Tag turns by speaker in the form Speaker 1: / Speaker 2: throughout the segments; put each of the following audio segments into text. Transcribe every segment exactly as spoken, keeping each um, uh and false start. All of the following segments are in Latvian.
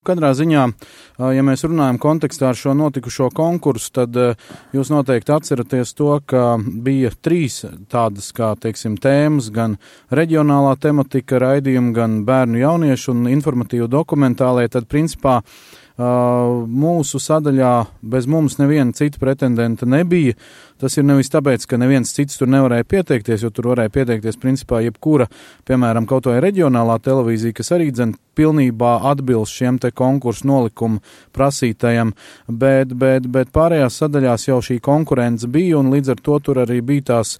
Speaker 1: Katrā ziņā, ja mēs runājam kontekstā ar šo notikušo konkursu, tad jūs noteikti atceraties to, ka bija trīs tādas, kā, teiksim, tēmas, gan reģionālā tematika raidījumi, gan bērnu jauniešu un informatīvu dokumentālie, tad principā mūsu sadaļā bez mums neviena cita pretendenta nebija. Tas ir nevis tāpēc, ka neviens cits tur nevarēja pieteikties, jo tur varēja pieteikties principā jebkura, piemēram, kaut vai reģionālā televīzija, kas arī dzen pilnībā atbilst šiem te konkursu nolikumu prasītajam, bet, bet, bet pārējās sadaļās jau šī konkurence bija un līdz ar to tur arī bija tās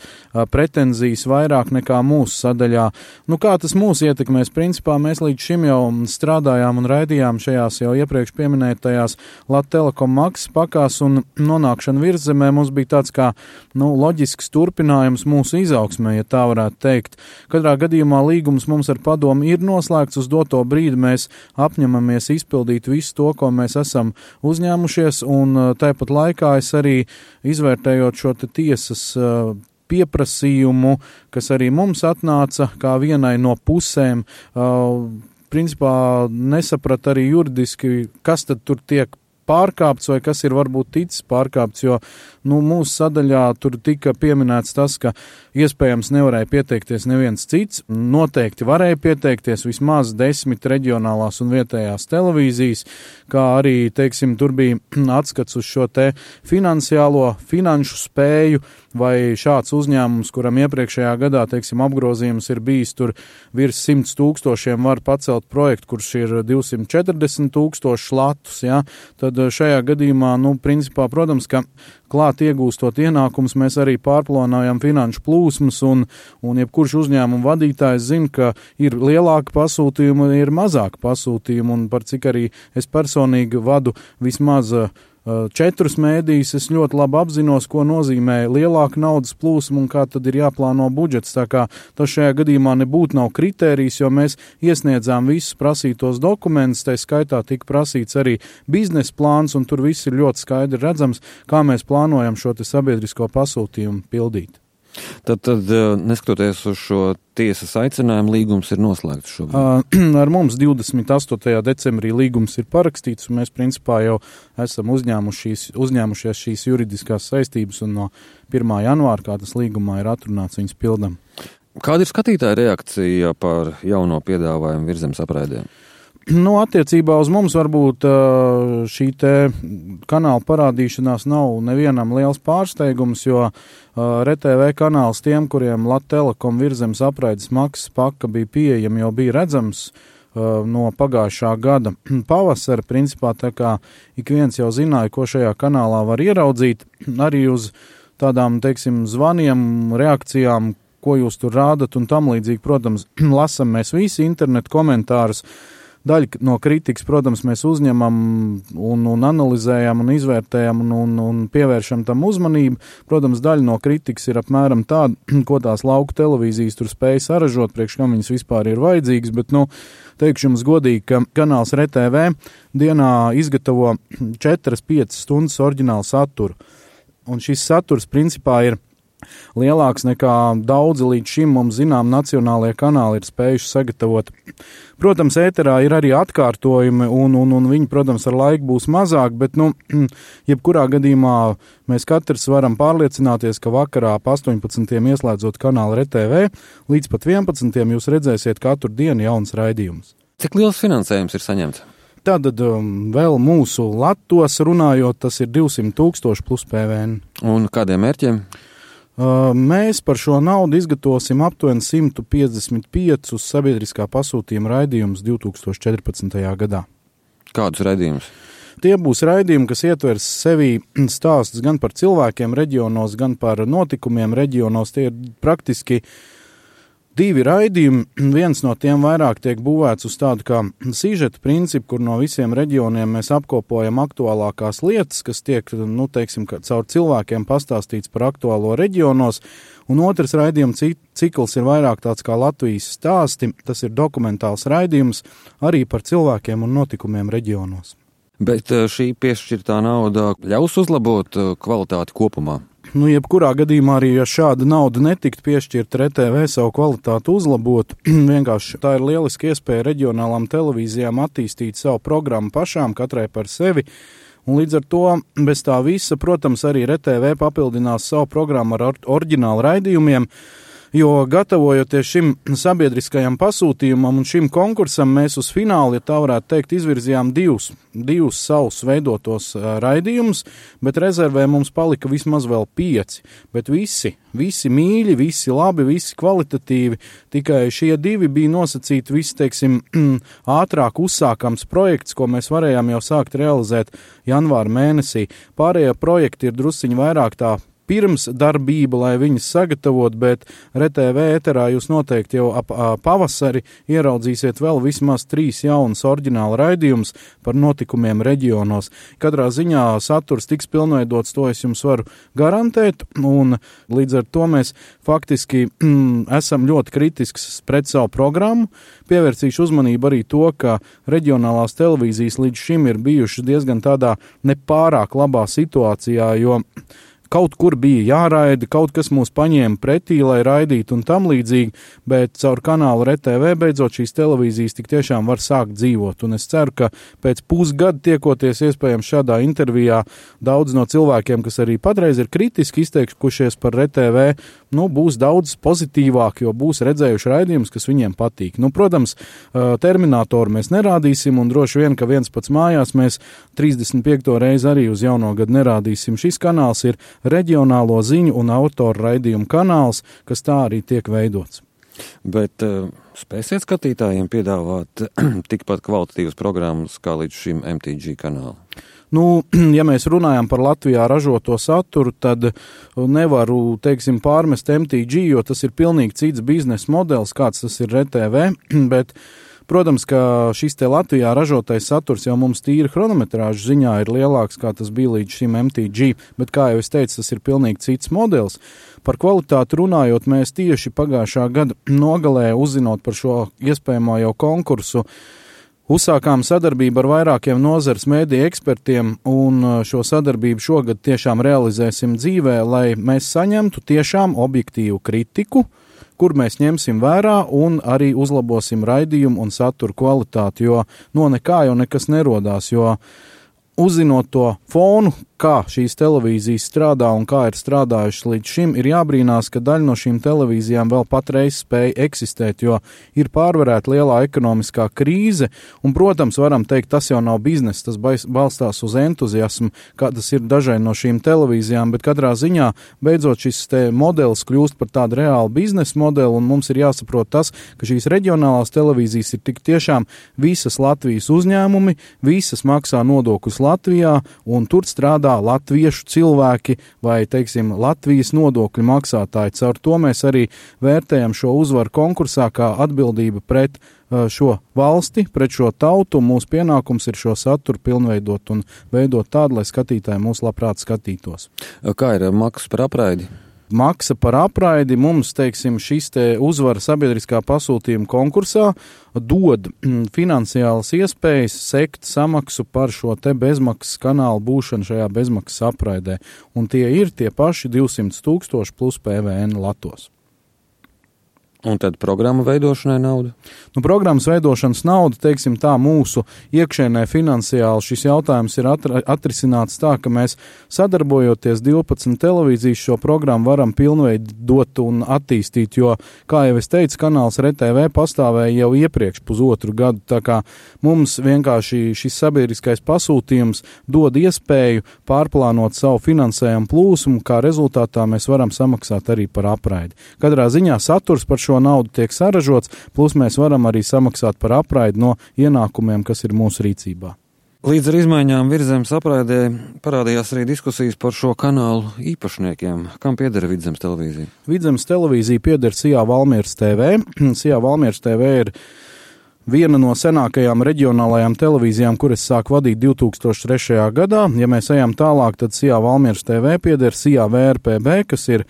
Speaker 1: pretenzijas vairāk nekā mūsu sadaļā. Nu, kā tas mūs ietekmēs? Principā mēs līdz šim jau strādājām un raidījām šajās jau iepriekš pieminētajās Lat Telekom maksas pakās un nonākšana virzemē mums bija tāds kā nu, loģisks turpinājums mūsu izaugsmē, ja tā varētu teikt. Katrā gadījumā līgums mums ar padomu ir noslēgts, uz doto brīdi mēs apņemamies izpildīt visu to, ko mēs esam uzņēmušies, un tāpat laikā es arī izvērtējot šo te tiesas pieprasījumu, kas arī mums atnāca kā vienai no pusēm, principā nesaprat arī juridiski, kas tad tur tiek pārkāpts vai kas ir varbūt ticis pārkāpts, jo nu, mūsu sadaļā tur tika pieminēts tas, ka iespējams nevarēja pieteikties neviens cits, noteikti varēja pieteikties vismaz desmit reģionālās un vietējās televīzijas, kā arī, teiksim, tur bija atskats uz šo te finansiālo, finanšu spēju, vai šāds uzņēmums, kuram iepriekšējā gadā, teiksim, apgrozījums ir bijis tur virs simts tūkstošiem, var pacelt projektu, kurš ir divsimt četrdesmit tūkstoši latus, ja, tad šajā gadījumā, nu, principā, protams, ka klāt iegūstot ienākums, mēs arī pārplānojam finanšu plūsmas, un, un jebkurš uzņēmuma vadītājs zina, ka ir lielāka pasūtījuma un ir mazāka pasūtījuma, un par cik arī es personīgi vadu vismaz četrus mēdījus, es ļoti labi apzinos, ko nozīmē lielāka naudas plūsma un kā tad ir jāplāno budžets. Tā kā tas šajā gadījumā nebūtu nav kritērijs, jo mēs iesniedzām visus prasītos dokumentus, tai skaitā tika prasīts arī biznesa plāns, un tur viss ir ļoti skaidri redzams, kā mēs plānojam šo te sabiedrisko pasūtījumu pildīt.
Speaker 2: Tad, tad neskatoties uz šo tiesas aicinājumu, līgums ir noslēgts šobrīd?
Speaker 1: Ar mums divdesmit astotajā decembrī līgums ir parakstīts, un mēs principā jau esam uzņēmušies, uzņēmušies šīs juridiskās saistības, un no pirmā janvāra, kā tas līgumā ir atrunāts, viņas pildam.
Speaker 2: Kāda ir skatītāja reakcija par jauno piedāvājumu Virzemes apraidēm?
Speaker 1: Nu, attiecībā uz mums varbūt šī te kanāla parādīšanās nav nevienam liels pārsteigums, jo R T V kanāls tiem, kuriem Lat Telekom Virzemes apraides maksas paka bija pieejama, jau bija redzams no pagājušā gada pavasara. Principā tā kā ik viens jau zināja, ko šajā kanālā var ieraudzīt, arī uz tādām, teiksim, zvaniem, reakcijām, ko jūs tur rādat un tam līdzīgi, protams, lasam mēs visi internetu komentārus. Daļa no kritikas, protams, mēs uzņemam un, un analizējam un izvērtējam un, un, un pievēršam tam uzmanību. Protams, daļa no kritikas ir apmēram tāda, ko tās lauku televīzijas tur spēja saražot, priekš kam viņas vispār ir vajadzīgas, bet, nu, teikšu jums godīgi, ka kanāls R T V dienā izgatavo četras piecas stundas oriģinālu saturu. Un šis saturs, principā, ir lielāks nekā daudzi līdz šim mums zinām nacionālajie kanāli ir spējuši sagatavot. Protams, ēterā ir arī atkārtojumi, un, un, un viņi, protams, ar laiku būs mazāk, bet, nu, jebkurā gadījumā mēs katrs varam pārliecināties, ka vakarā ap astoņpadsmitiem ieslēdzot kanālu R T V, līdz pat vienpadsmitiem jūs redzēsiet katru dienu jauns raidījums.
Speaker 2: Cik liels finansējums ir saņemts?
Speaker 1: Tātad um, vēl mūsu latos runājot, tas ir divsimt tūkstoši plus P V N.
Speaker 2: Un kādiem mērķiem?
Speaker 1: Mēs par šo naudu izgatavosim aptuveni simt piecdesmit piecus sabiedriskā pasūtījuma raidījumus divtūkstoš četrpadsmitajā gadā.
Speaker 2: Kādus raidījumus?
Speaker 1: Tie būs raidījumi, kas ietvers sevī stāstus gan par cilvēkiem reģionos, gan par notikumiem reģionos. Tie ir praktiski divi raidījumi. Viens no tiem vairāk tiek būvēts uz tādu kā sižeta principu, kur no visiem reģioniem mēs apkopojam aktuālākās lietas, kas tiek, nu, teiksim, caur cilvēkiem pastāstīts par aktuālo reģionos. Un otrs raidījuma cikls ir vairāk tāds kā Latvijas stāsti. Tas ir dokumentāls raidījums arī par cilvēkiem un notikumiem reģionos.
Speaker 2: Bet šī piešķirtā nauda ļaus uzlabot kvalitāti kopumā?
Speaker 1: nu, jebkurā gadījumā arī, ja šāda nauda netiktu piešķirt, R T V savu kvalitāti uzlabot, vienkārši tā ir lieliski iespēja reģionālām televīzijām attīstīt savu programmu pašām, katrai par sevi. Un līdz ar to, bez tā visa, protams, arī R T V papildinās savu programmu ar or- oriģinālu raidījumiem, jo gatavojoties šim sabiedriskajam pasūtījumam un šim konkursam, mēs uz finālu, ja tā varētu teikt, izvirzījām divus, divus savus veidotos uh, raidījumus, bet rezervē mums palika vismaz vēl pieci. Bet visi, visi mīļi, visi labi, visi kvalitatīvi, tikai šie divi bija nosacīti visi, teiksim, ātrāk uzsākams projekts, ko mēs varējām jau sākt realizēt janvāra mēnesī. Pārējie projekti ir drusciņi vairāk tā pirms darbība, lai viņas sagatavot, bet R T V eterā jūs noteikti jau ap pavasari ieraudzīsiet vēl vismaz trīs jaunas oriģināla raidījumus par notikumiem reģionos. Katrā ziņā saturs tiks pilnveidots, to es jums varu garantēt, un līdz ar to mēs faktiski mm, esam ļoti kritisks pret savu programmu. Pievērsīšu uzmanību arī to, ka reģionālās televīzijas līdz šim ir bijušas diezgan tādā nepārāk labā situācijā, jo kaut kur bija jāraida, kaut kas mūs paņēma pretī, lai raidītu un tam līdzīgi, bet caur kanālu R T V beidzot šīs televīzijas tik tiešām var sākt dzīvot. Un es ceru, ka pēc pusgada tiekoties iespējams šādā intervijā daudz no cilvēkiem, kas arī patreiz ir kritiski izteikušies par R T V, nu, būs daudz pozitīvāk, jo būs redzējuši raidījumus, kas viņiem patīk. Nu, protams, Terminatoru mēs nerādīsim un droši vien, ka viens pats mājās mēs trīsdesmit piekto reizi arī uz jauno gadu nerādīsim. Šis kanāls ir reģionālo ziņu un autoru raidījumu kanāls, kas tā arī tiek veidots.
Speaker 2: Bet uh, spēsiet skatītājiem piedāvāt tikpat kvalitatīvas programmas kā līdz šim M T G kanālu?
Speaker 1: Nu, ja mēs runājam par Latvijā ražoto saturu, tad nevaru, teiksim, pārmest M T G, jo tas ir pilnīgi cits biznesa modelis, kāds tas ir R T V, bet protams, ka šis te Latvijā ražotais saturs jau mums tīri chronometrāžu ziņā ir lielāks, kā tas bija līdz šim M T G, bet, kā jau es teicu, tas ir pilnīgi cits modelis. Par kvalitāti runājot, mēs tieši pagājušā gada nogalē, uzzinot par šo iespējamo jau konkursu, uzsākām sadarbību ar vairākiem nozares mēdīju ekspertiem, un šo sadarbību šogad tiešām realizēsim dzīvē, lai mēs saņemtu tiešām objektīvu kritiku, kur mēs ņemsim vērā un arī uzlabosim raidījumu un saturu kvalitāti, jo no nekā jau nekas nerodās, jo uzzinot to fonu, kā šīs televīzijas strādā un kā ir strādājušas līdz šim, ir jābrīnās, ka daļa no šīm televīzijām vēl patreiz spēja eksistēt, jo ir pārvarēta lielā ekonomiskā krīze, un, protams, varam teikt, tas jau nav bizness, tas balstās uz entuziasmu, kā tas ir dažai no šīm televīzijām, bet katrā ziņā beidzot šis te modelis kļūst par tādu reālu biznesa modeli, un mums ir jāsaprot tas, ka šīs reģionālās televīzijas ir tik tiešām visas Latvijas uzņēmumi, visas maksā nodokļus Latvijā, un tur strādā latviešu cilvēki vai, teiksim, Latvijas nodokļu maksātāji. Caur to mēs arī vērtējam šo uzvaru konkursā kā atbildību pret šo valsti, pret šo tautu. Mūsu pienākums ir šo saturu pilnveidot un veidot tādu, lai skatītāji mūs labprāt skatītos.
Speaker 2: Kā ir maksa par apraidi?
Speaker 1: Maksa par apraidi mums, teiksim, šis te uzvara sabiedriskā pasūtījuma konkursā dod finansiālas iespējas sekt samaksu par šo te bezmaksas kanālu būšanu šajā bezmaksas apraidē. Un tie ir tie paši divsimt tūkstoši plus P V N latos.
Speaker 2: Un tad programmu veidošanai nauda?
Speaker 1: Nu, programmas veidošanas nauda, teiksim tā, mūsu iekšēnē finansiāli šis jautājums ir atra, atrisināts tā, ka mēs sadarbojoties divpadsmit televīzijas šo programmu varam pilnveidot un attīstīt, jo, kā jau es teicu, kanāls R T V pastāvēja jau iepriekš pusotru gadu, tā kā mums vienkārši šis sabiedriskais pasūtījums dod iespēju pārplānot savu finansējumu plūsmu, kā rezultātā mēs varam samaksāt arī par apraidi. Katrā ziņā saturs par šo šo naudu tiek saražots, plus mēs varam arī samaksāt par apraidi no ienākumiem, kas ir mūsu rīcībā.
Speaker 2: Līdz ar izmaiņām Vidzemes apraidē parādījās arī diskusijas par šo kanālu īpašniekiem. Kam pieder Vidzemes televīzija?
Speaker 1: Vidzemes televīzija pieder Sijā Valmieras T V. Sijā Valmieras T V ir viena no senākajām reģionālajām televīzijām, kuras sāk vadīt divi tūkstoši trešajā gadā. Ja mēs ejam tālāk, tad Sijā Valmieras T V pieder Sijā V R P B, kas ir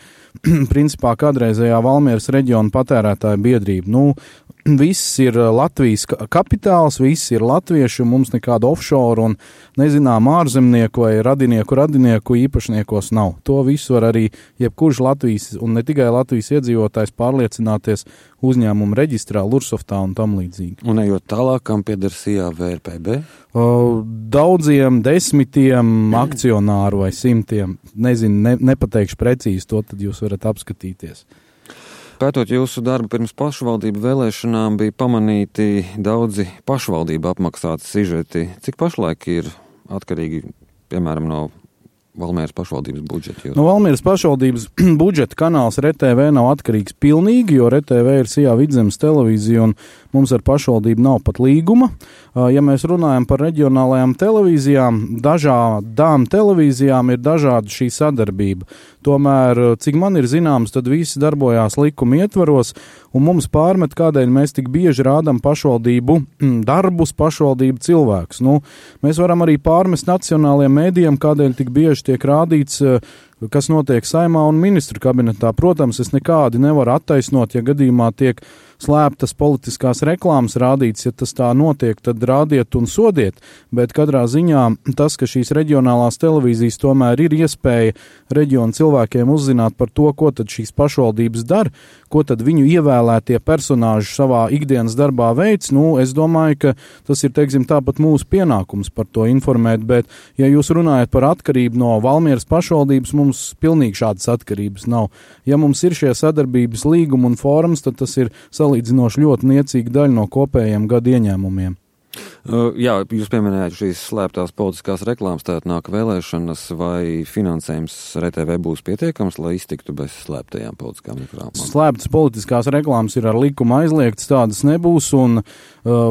Speaker 1: principā kādreizējā Valmieras reģiona patērētāja biedrība. Nu, viss ir Latvijas kapitāls, viss ir latvieši, un mums nekāda offshore un nezinām ārzemnieku vai radinieku radinieku īpašniekos nav. To visu var arī jebkurš Latvijas un ne tikai Latvijas iedzīvotājs pārliecināties uzņēmumu reģistrā, Lursoftā un tam līdzīgi.
Speaker 2: Un ejot tālāk, kam pieder S I A V R P B?
Speaker 1: O, daudziem desmitiem akcionāru vai simtiem, nezinu, ne, nepateikšu precīzi, to tad jūs varat apskatīties.
Speaker 2: Pētot jūsu darbu pirms pašvaldību vēlēšanām, bija pamanīti daudzi pašvaldību apmaksāti sižeti. Cik pašlaik ir atkarīgi, piemēram, no Valmieras pašvaldības budžeta?
Speaker 1: No Valmieras pašvaldības budžeta kanāls R T V nav atkarīgs pilnīgi, jo R T V ir S I A Vidzemes televīzija un mums ar pašvaldību nav pat līguma. Ja mēs runājam par reģionālajām televīzijām, dažādām televīzijām ir dažāda šī sadarbība. Tomēr, cik man ir zināms, tad visi darbojās likuma ietvaros, un mums pārmet, kādēļ mēs tik bieži rādam pašvaldību darbus, pašvaldību cilvēkus. Nu, mēs varam arī pārmest nacionālajiem mēdījiem, kādēļ tik bieži tiek rādīts, kas notiek Saimā un ministru kabinetā. Protams, es nekādi nevaru attaisnot, ja gadījumā tiek slēptas politiskās reklāmas rādīts, ja tas tā notiek, tad rādiet un sodiet, bet katrā ziņā tas, ka šīs reģionālās televīzijas tomēr ir iespēja reģionu cilvēkiem uzzināt par to, ko tad šīs pašvaldības dara, ko tad viņu ievēlētie personāži savā ikdienas darbā veids, nu, es domāju, ka tas ir, teiksim, tāpat mūsu pienākums par to informēt, bet, ja jūs runājat par atkarību no Valmieras pašvaldības, mums pilnīgi šādas atkarības nav. Ja mums ir šie sadarbības līgumi un forums, tad tas ir salīdzinoši ļoti niecīga daļa no kopējiem gadu ieņēmumiem.
Speaker 2: Uh, jā, jūs pieminējāt šīs slēptās politiskās reklāmas, tātad nāk vēlēšanas, vai finansējums R T V būs pietiekams, lai iztiktu bez slēptajām politiskām reklāmām?
Speaker 1: Slēptas politiskās reklāmas ir ar likumu aizliegtas, tādas nebūs, un uh,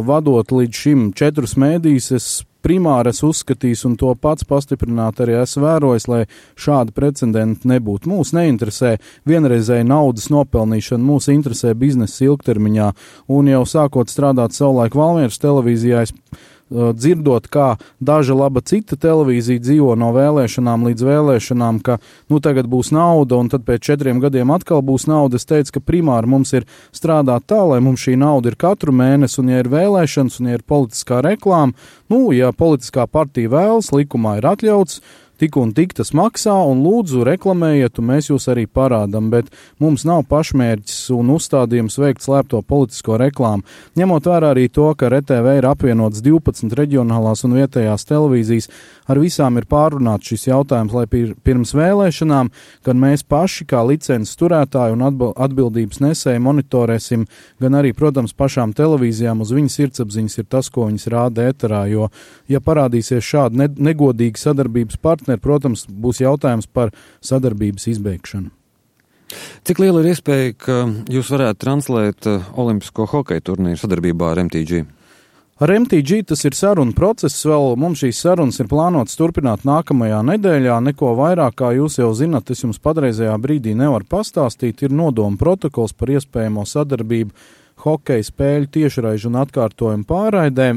Speaker 1: vadot līdz šim četrus mēdījus, es primāri es uzskatīs un to pats pastiprināt arī esmu vērojis, lai šādi precedenti nebūtu. Mūs neinteresē vienreizēja naudas nopelnīšana, mūs interesē biznesa ilgtermiņā, un jau sākot strādāt savulaik Valmieras televīzijā, es uh, dzirdot, kā daža laba cita televīzija dzīvo no vēlēšanām līdz vēlēšanām, ka nu tagad būs nauda un tad pēc četriem gadiem atkal būs nauda. Es teicu, ka primāri mums ir strādāt tā, lai mums šī nauda ir katru mēnesi, un ja ir vēlēšanas un ja ir politiskā reklāma, nu, ja politiskā partija vēlas, likumā ir atļauts, tik un tik tas maksā, un lūdzu reklamējiet, un mēs jūs arī parādam, bet mums nav pašmērķis un uzstādījums veikt slēpto politisko reklāmu. Ņemot vērā arī to, ka R T V ir apvienots divpadsmit reģionālās un vietējās televīzijas, ar visām ir pārunāts šis jautājums, lai pirms vēlēšanām, kad mēs paši kā licences turētāji un atbildības nesēji monitorēsim, gan arī, protams, pašām televīzijām uz viņas sirdsapziņas ir tas, ko viņas rāda ēterā, jo, ja parādīsies šādi negodīgi sadarbības partneri, protams, būs jautājums par sadarbības izbeigšanu.
Speaker 2: Cik liela ir iespēja, ka jūs varētu translēt olimpisko hokeja turnīru sadarbībā ar M T G?
Speaker 1: Ar M T G tas ir saruna process, vēl mums šīs sarunas ir plānotas turpināt nākamajā nedēļā, neko vairāk, kā jūs jau zinat, es jums patreizajā brīdī nevaru pastāstīt, ir nodoma protokols par iespējamo sadarbību hokeja spēļu tiešraižu un atkārtojumu pārraidē,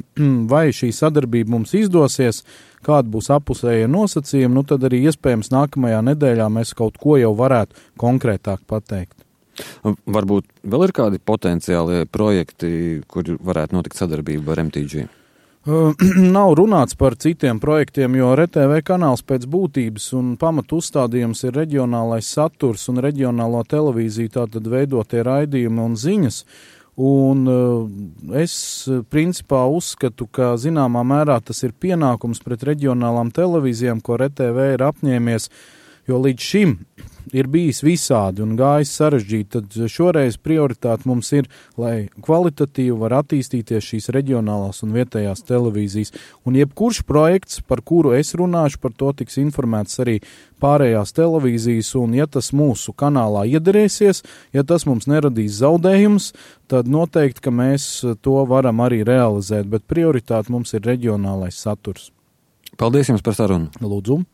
Speaker 1: vai šī sadarbība mums izdosies, kāda būs apusējie nosacījumi, nu tad arī iespējams nākamajā nedēļā mēs kaut ko jau varētu konkrētāk pateikt.
Speaker 2: Varbūt vēl ir kādi potenciāli projekti, kur varētu notikt sadarbība ar M T G?
Speaker 1: Uh, nav runāts par citiem projektiem, jo R T V kanāls pēc būtības un pamatu uzstādījums ir reģionālais saturs un reģionālo televīziju, tātad veidotie raidījumi un ziņas. Un uh, es principā uzskatu, ka zināmā mērā tas ir pienākums pret reģionālām televīzijām, ko R T V ir apņēmies, jo līdz šim ir bijis visādi un gājis sarežģīti, tad šoreiz prioritāte mums ir, lai kvalitatīvi var attīstīties šīs reģionālās un vietējās televīzijas. Un jebkurš projekts, par kuru es runāšu, par to tiks informēts arī pārējās televīzijas, un ja tas mūsu kanālā iederēsies, ja tas mums neradīs zaudējums, tad noteikti, ka mēs to varam arī realizēt, bet prioritāte mums ir reģionālais saturs.
Speaker 2: Paldies jums par sarunu.
Speaker 1: Lūdzu.